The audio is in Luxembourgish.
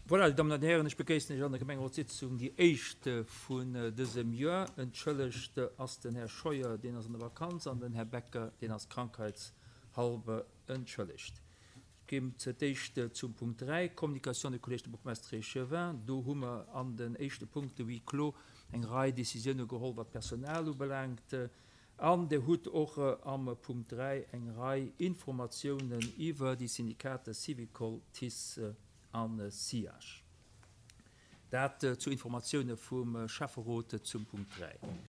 Voilà, Dir Dammen an Dir Hären, ech begréissen Iech an der Gemengerotssitzung, déi éischt vun dësem Joer. Entschëllegt ass den Här Scheuer, deen ass an der Vakanz, an den Här Becker, deen ass krankheitshalber entschëllegt. Ech ginn zur d'éischt zum Punkt 3, Communication du Collège de bourgmestres et échevins. Do hu mer an den éischte Punkte huis clos eng Rei Décisioune geholl, wat d'Personal ubelaangt. An Dir hutt och am Punkt 3 eng Rei Informatiounen iwwer déi Syndikater Syvicol, TICE a SIAG. Dat zu Informatioune vum Schäfferot zum Punkt 3.